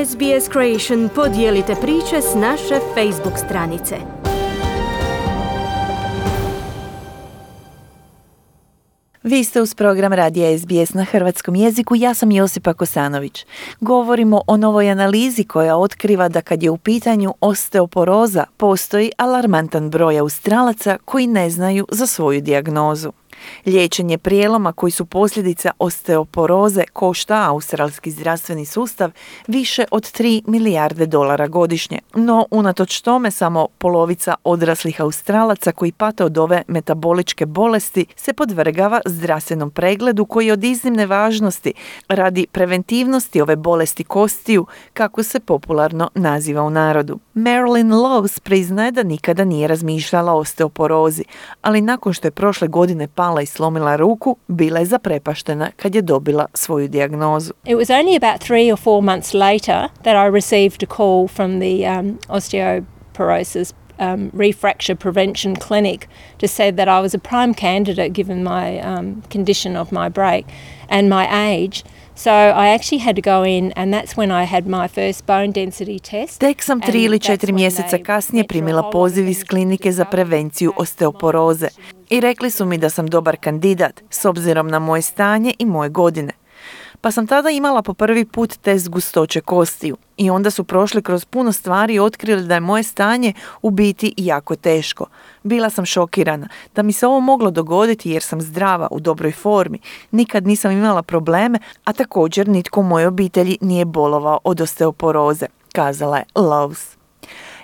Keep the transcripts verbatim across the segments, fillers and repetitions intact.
S B S Creation podijelite priče s naše Facebook stranice. Vi ste uz program Radija S B S na hrvatskom jeziku, ja sam Josipa Kosanović. Govorimo o novoj analizi koja otkriva da kad je u pitanju osteoporoza, postoji alarmantan broj Australaca koji ne znaju za svoju dijagnozu. Liječenje prijeloma koji su posljedica osteoporoze košta australski zdravstveni sustav više od tri milijarde dolara godišnje. No, unatoč tome, samo polovica odraslih Australaca koji pate od ove metaboličke bolesti se podvrgava zdravstvenom pregledu koji je od iznimne važnosti radi preventivnosti ove bolesti kostiju, kako se popularno naziva u narodu. Marilyn Lowe's priznaje da nikada nije razmišljala o osteoporozi, ali nakon što je prošle godine pala i slomila ruku, bila je zaprepaštena kad je dobila svoju dijagnozu. It was only about three or four months later that I received a call from the um, osteoporosis um, refracture prevention clinic to say that I was a prime candidate given my um, condition of my break and my age. So I actually had to go in and that's when I had my first bone density test. Tek sam tri ili četiri mjeseca kasnije primila poziv iz klinike za prevenciju osteoporoze i rekli su mi da sam dobar kandidat s obzirom na moje stanje i moje godine. Pa sam tada imala po prvi put test gustoće kostiju i onda su prošli kroz puno stvari i otkrili da je moje stanje u biti jako teško. Bila sam šokirana da mi se ovo moglo dogoditi jer sam zdrava, u dobroj formi, nikad nisam imala probleme, a također nitko u mojoj obitelji nije bolovao od osteoporoze, kazala je Lowe's.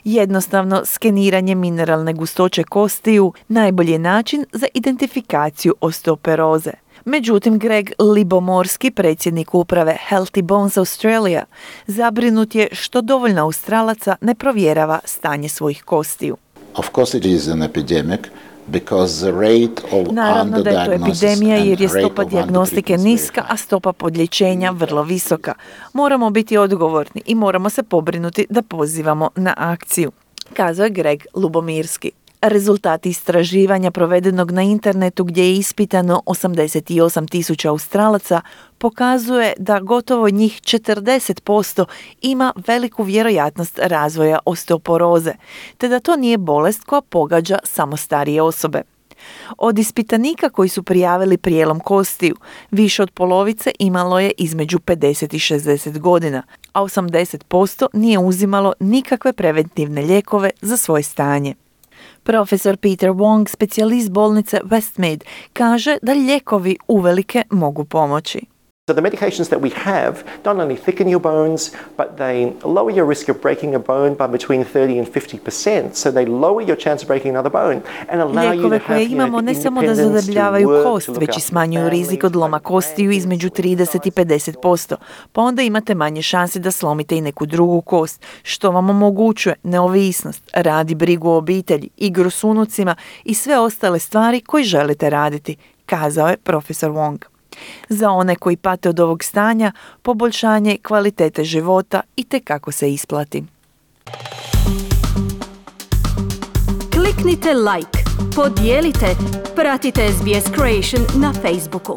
Jednostavno, skeniranje mineralne gustoće kostiju najbolji je način za identifikaciju osteoporoze. Međutim, Greg Libomorski, predsjednik uprave Healthy Bones Australia, zabrinut je što dovoljno Australaca ne provjerava stanje svojih kostiju. Of course it is an epidemic. Naravno da je to epidemija jer je stopa dijagnostike niska, a stopa podliječenja vrlo visoka. Moramo biti odgovorni i moramo se pobrinuti da pozivamo na akciju, kazao je Greg Lubomirski. Rezultati istraživanja provedenog na internetu gdje je ispitano osamdeset osam tisuća Australaca pokazuje da gotovo njih četrdeset posto ima veliku vjerojatnost razvoja osteoporoze, te da to nije bolest koja pogađa samo starije osobe. Od ispitanika koji su prijavili prijelom kostiju, više od polovice imalo je između pedeset i šezdeset godina, a osamdeset posto nije uzimalo nikakve preventivne lijekove za svoje stanje. Profesor Peter Wong, specijalist bolnice Westmead, kaže da lijekovi uvelike mogu pomoći. So the medications that we have not only thicken your bones, but they lower your risk of breaking a bone by between thirty and fifty percent. So they lower your chance of breaking another bone and allow you to have, Lijekove koje imamo ne samo da zadebljavaju kost, već i smanjuju rizik od loma kostiju između trideset i pedeset posto. Pa onda imate manje šanse da slomite i neku drugu kost, što vam omogućuje neovisnost, radi brigu o obitelji, igru s unucima i sve ostale stvari koje želite raditi, kazao je profesor Wong. Za one koji pate od ovog stanja, poboljšanje kvalitete života itekako se isplati. Kliknite like, podijelite, pratite S B S Creation na Facebooku.